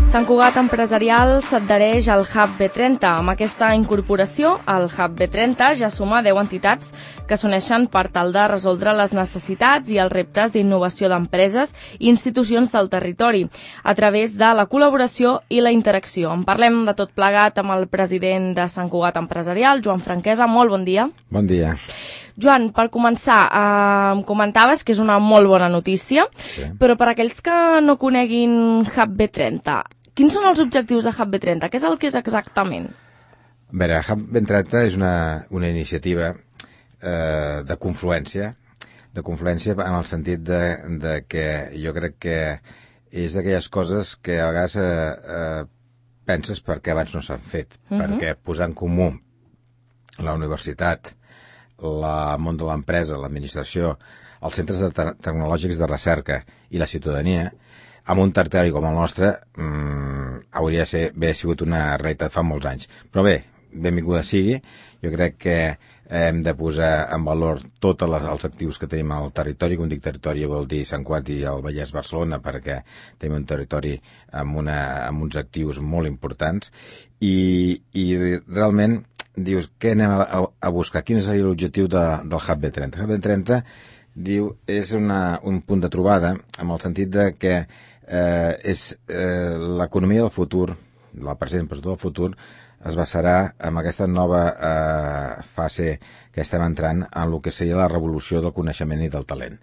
Sant Cugat Empresarial s'adhereix al Hub B30. Amb aquesta incorporació, el Hub B30 ja suma 10 entitats que s'uneixen per tal de resoldre les necessitats i els reptes d'innovació d'empreses i institucions del territori a través de la col·laboració i la interacció. En parlem de tot plegat amb el president de Sant Cugat Empresarial, Joan Franquesa. Molt bon dia. Bon dia. Joan, per començar, em comentaves que és una molt bona notícia, sí. Però per aquells que no coneguin Hub B30, quins són els objectius de Hub B30? Què és el que és exactament? A veure, Hub B30 és una iniciativa de confluència en el sentit de que jo crec que és d'aquelles coses que a vegades penses per què abans no s'han fet, perquè posar en comú la universitat, el món de l'empresa, l'administració, els centres tecnològics de recerca i la ciutadania, amb un territori com el nostre, hauria d'haver sigut una realitat fa molts anys. Però bé, benvinguda sigui. Jo crec que hem de posar en valor tots els actius que tenim al territori. Quan dic territori vol dir Sant Cugat i el Vallès Barcelona, perquè tenim un territori amb uns actius molt importants i realment dius, què anem a buscar? Quin és l'objectiu del Hub B30? El Hub B30 diu, és un punt de trobada en el sentit de que és l'economia del futur, la present però del futur, es basarà en aquesta nova fase que estem entrant en el que seria la revolució del coneixement i del talent.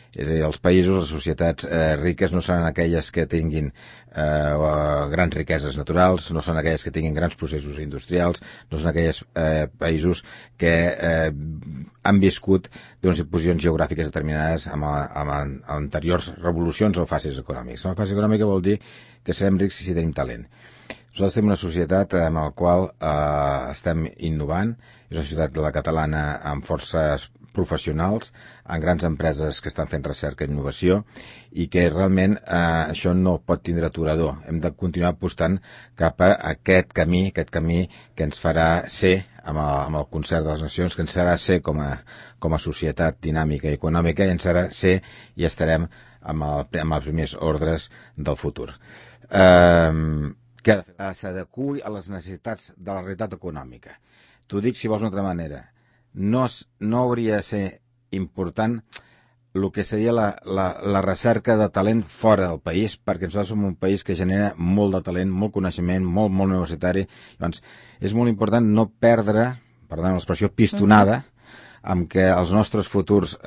És a dir, els països, les societats riques no seran aquelles que tinguin grans riqueses naturals, no són aquelles que tinguin grans processos industrials, no són aquells països que han viscut d'unes posicions geogràfiques determinades amb anteriors revolucions o fases econòmiques. Una fase econòmica vol dir que serem rics si tenim talent. Nosaltres tenim una societat en la qual estem innovant, és una societat de la catalana amb forces professionals, en grans empreses que estan fent recerca i innovació i que realment això no pot tindre aturador. Hem de continuar apostant cap a aquest camí que ens farà ser, amb el concert de les nacions, que ens farà ser com a societat dinàmica i econòmica, i ens farà ser i estarem amb els primers ordres del futur. Que s'adequi a les necessitats de la realitat econòmica. T'ho dic, si vols d'una altra manera, no hauria de ser important el que seria la recerca de talent fora del país, perquè nosaltres som un país que genera molt de talent, molt coneixement, molt universitari. Llavors, és molt important no perdre, perdona l'expressió, pistonada, amb què els nostres futurs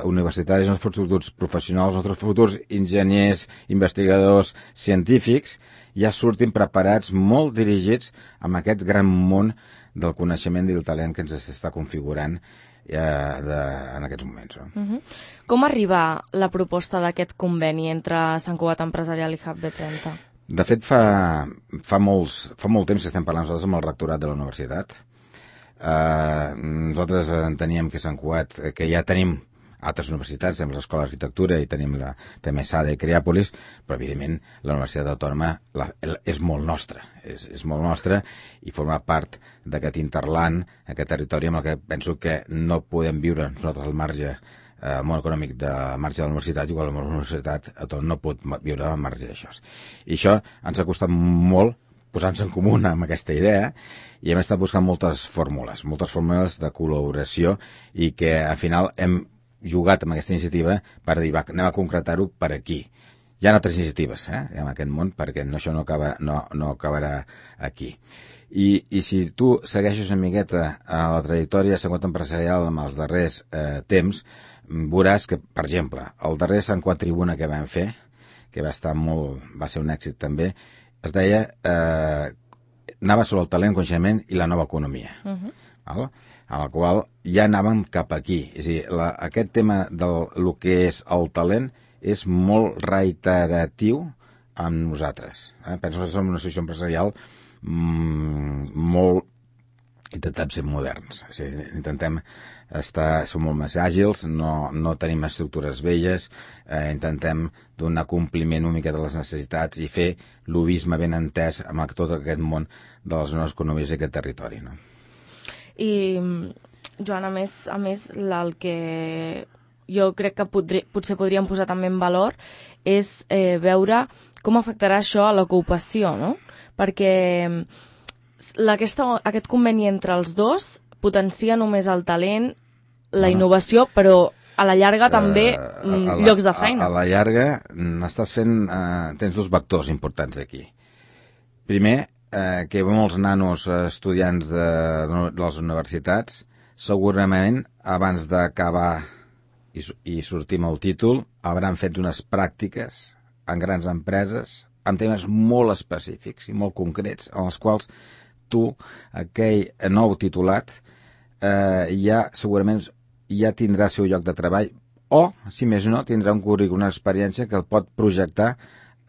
universitaris, els nostres futurs professionals, els nostres futurs enginyers, investigadors, científics, ja surtin preparats, molt dirigits amb aquest gran món del coneixement i del talent que ens està configurant en aquests moments. No? Com arriba la proposta d'aquest conveni entre Sant Cugat Empresarial i Hub B30? De fet, fa molt temps que estem parlant nosaltres amb el rectorat de la universitat. Nosaltres enteníem que Sant Cugat, que ja tenim altres universitats, tenim l'Escola d'Arquitectura i tenim també SADE i Creàpolis, però evidentment la Universitat Autònoma és molt nostra, és molt nostra i forma part d'aquest interland, aquest territori amb el que penso que no podem viure nosaltres al marge, el món econòmic del marge de la universitat, igual la Universitat Autònoma no pot viure al marge d'això. I això ens ha costat molt posar-nos en comú amb aquesta idea i hem estat buscant moltes fórmules de col·laboració i que al final hem jugat amb aquesta iniciativa per dir, anem a concretar-ho per aquí. Hi ha altres iniciatives en aquest món, perquè això no acabarà aquí. I si tu segueixes una miqueta a la trajectòria de Sant Cugat Empresarial amb els darrers temps, veuràs que, per exemple, el darrer Sant Cugat Tribuna que vam fer, que va ser un èxit també, es deia, anava sobre el talent, coneixement i la nova economia. Val? En el qual ja anàvem cap aquí. És a dir, aquest tema del que és el talent és molt reiteratiu amb nosaltres. Penso que som una associació empresarial molt... Intentem ser moderns. És a dir, intentem som molt més àgils, no tenim estructures velles, intentem donar compliment una mica de les necessitats i fer l'ubisme ben entès amb tot aquest món de les noves economies i aquest territori, no? I, Joan, a més el que jo crec que potser podríem posar també en valor és veure com afectarà això a l'ocupació, no? Perquè aquest conveni entre els dos potencia només el talent, la innovació, però a la llarga també llocs de feina. A la llarga tens dos vectors importants aquí. Primer, que molts nanos estudiants de les universitats segurament abans d'acabar i sortir amb el títol hauran fet unes pràctiques en grans empreses amb temes molt específics i molt concrets en els quals tu, aquell nou titulat, segurament ja tindrà el seu lloc de treball o, si més no, tindrà un currículum, una experiència que el pot projectar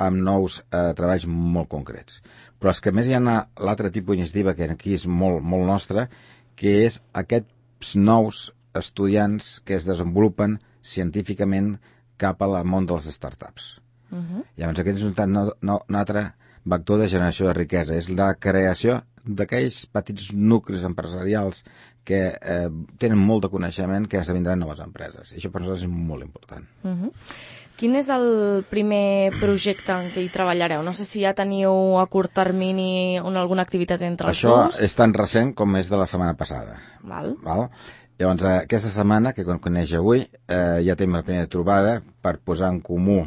amb nous treballs molt concrets. Però és que a més hi ha l'altre tipus d'iniciativa que aquí és molt, molt nostra, que és aquests nous estudiants que es desenvolupen científicament cap al món dels startups. Llavors aquest és un altre vector de generació de riquesa, és la creació d'aquells petits nuclis empresarials que tenen molt de coneixement que esdevindran noves empreses. I això per nosaltres és molt important. Quin és el primer projecte en què hi treballareu? No sé si ja teniu a curt termini alguna activitat entre els dos. Això és tan recent com és de la setmana passada. Val? Llavors, aquesta setmana, que coneix avui, ja tenim la primera trobada per posar en comú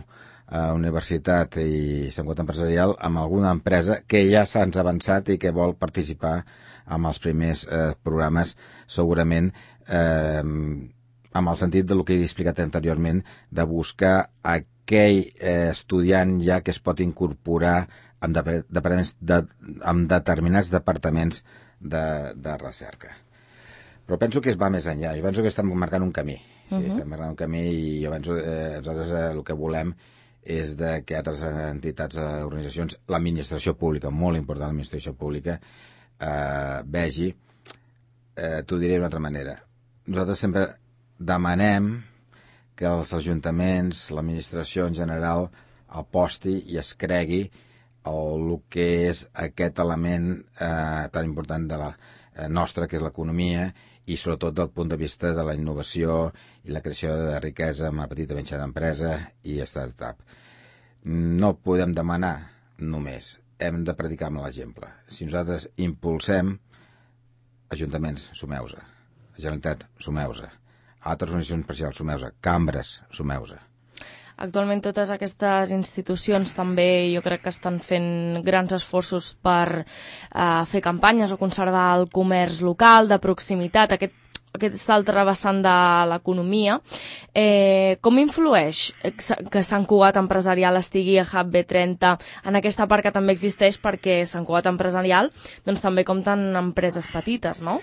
Universitat i Sant Cugat Empresarial amb alguna empresa que ja s'ha avançat i que vol participar amb els primers programes, segurament amb el sentit del que he explicat anteriorment, de buscar aquell estudiant ja que es pot incorporar en determinats departaments de recerca. Però penso que es va més enllà. Jo penso que estem marcant un camí. Sí, estem marcant un camí i jo penso que nosaltres el que volem és que altres entitats, organitzacions, l'administració pública, molt important l'administració pública, vegi, t'ho diré d'una altra manera. Nosaltres sempre demanem que els ajuntaments, l'administració en general, aposti i es cregui el que és aquest element tan important de la nostra, que és l'economia, i sobretot del punt de vista de la innovació i la creació de riquesa amb la petita i mitjana empresa i startup. No podem demanar només, hem de predicar amb l'exemple. Si nosaltres impulsem, ajuntaments, sumeu-se, Generalitat, sumeu-se, altres organitzacions parcials, sumeu-se, cambres, sumeu-se. Actualment totes aquestes institucions també jo crec que estan fent grans esforços per fer campanyes o conservar el comerç local, de proximitat, aquest altre vessant de l'economia. Com influeix que Sant Cugat Empresarial estigui a Hub B30 en aquesta part que també existeix, perquè Sant Cugat Empresarial doncs, també compten empreses petites, no?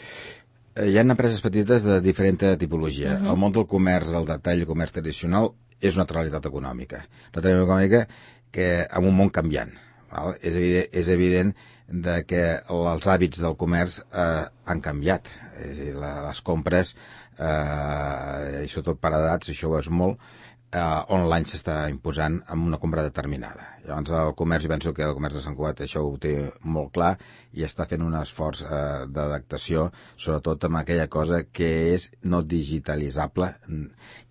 Hi ha empreses petites de diferent tipologia. El món del comerç, el detall, el comerç tradicional, és una altra realitat econòmica. Una altra realitat econòmica que en un món canviant. Val? És evident que els hàbits del comerç han canviat. És a dir, les compres, i sobretot per edats, això ho és molt, online s'està imposant amb una compra determinada. Llavors el comerç, jo penso que el comerç de Sant Cugat això ho té molt clar i està fent un esforç d'adaptació, sobretot amb aquella cosa que és no digitalitzable,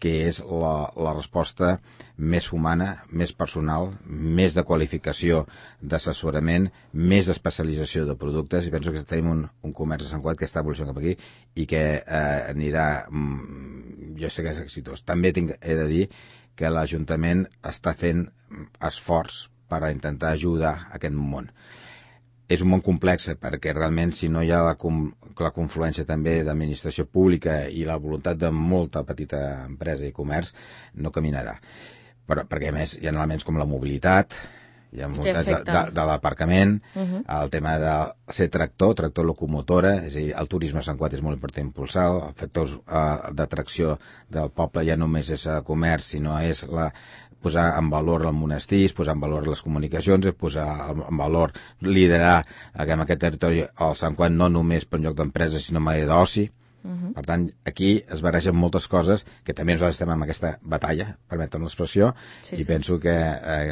que és la resposta més humana, més personal, més de qualificació d'assessorament, més d'especialització de productes, i penso que tenim un comerç de Sant Cugat que està evolucionant cap aquí i que anirà, jo sé que és exitós. També he de dir que l'Ajuntament està fent esforç per a intentar ajudar aquest món. És un món complex perquè realment si no hi ha la confluència també d'administració pública i la voluntat de molta petita empresa i comerç no caminarà. Però perquè a més hi ha elements com la mobilitat, hi ha de l'aparcament, el tema de ser tractor locomotora, és a dir, el turisme a Sant Cugat és molt important impulsar, els factors d'atracció del poble ja només és comerç, sinó és posar en valor el monestir, posar en valor les comunicacions, posar en valor, liderar en aquest territori el Sant Cugat no només per un lloc d'empresa, sinó mai d'oci. Per tant, aquí es barregen moltes coses que també nosaltres estem en aquesta batalla, permetem l'expressió, i penso que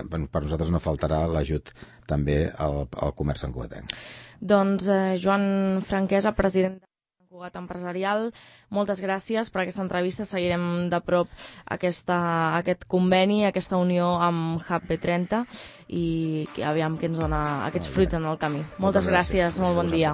per nosaltres no faltarà l'ajut també al comerç santcugatenc. Doncs Joan Franquesa, president de Cugat Empresarial, moltes gràcies per aquesta entrevista. Seguirem de prop aquest conveni, aquesta unió amb Hub B30 i aviam què ens dona aquests fruits en el camí. Moltes gràcies, molt bon dia.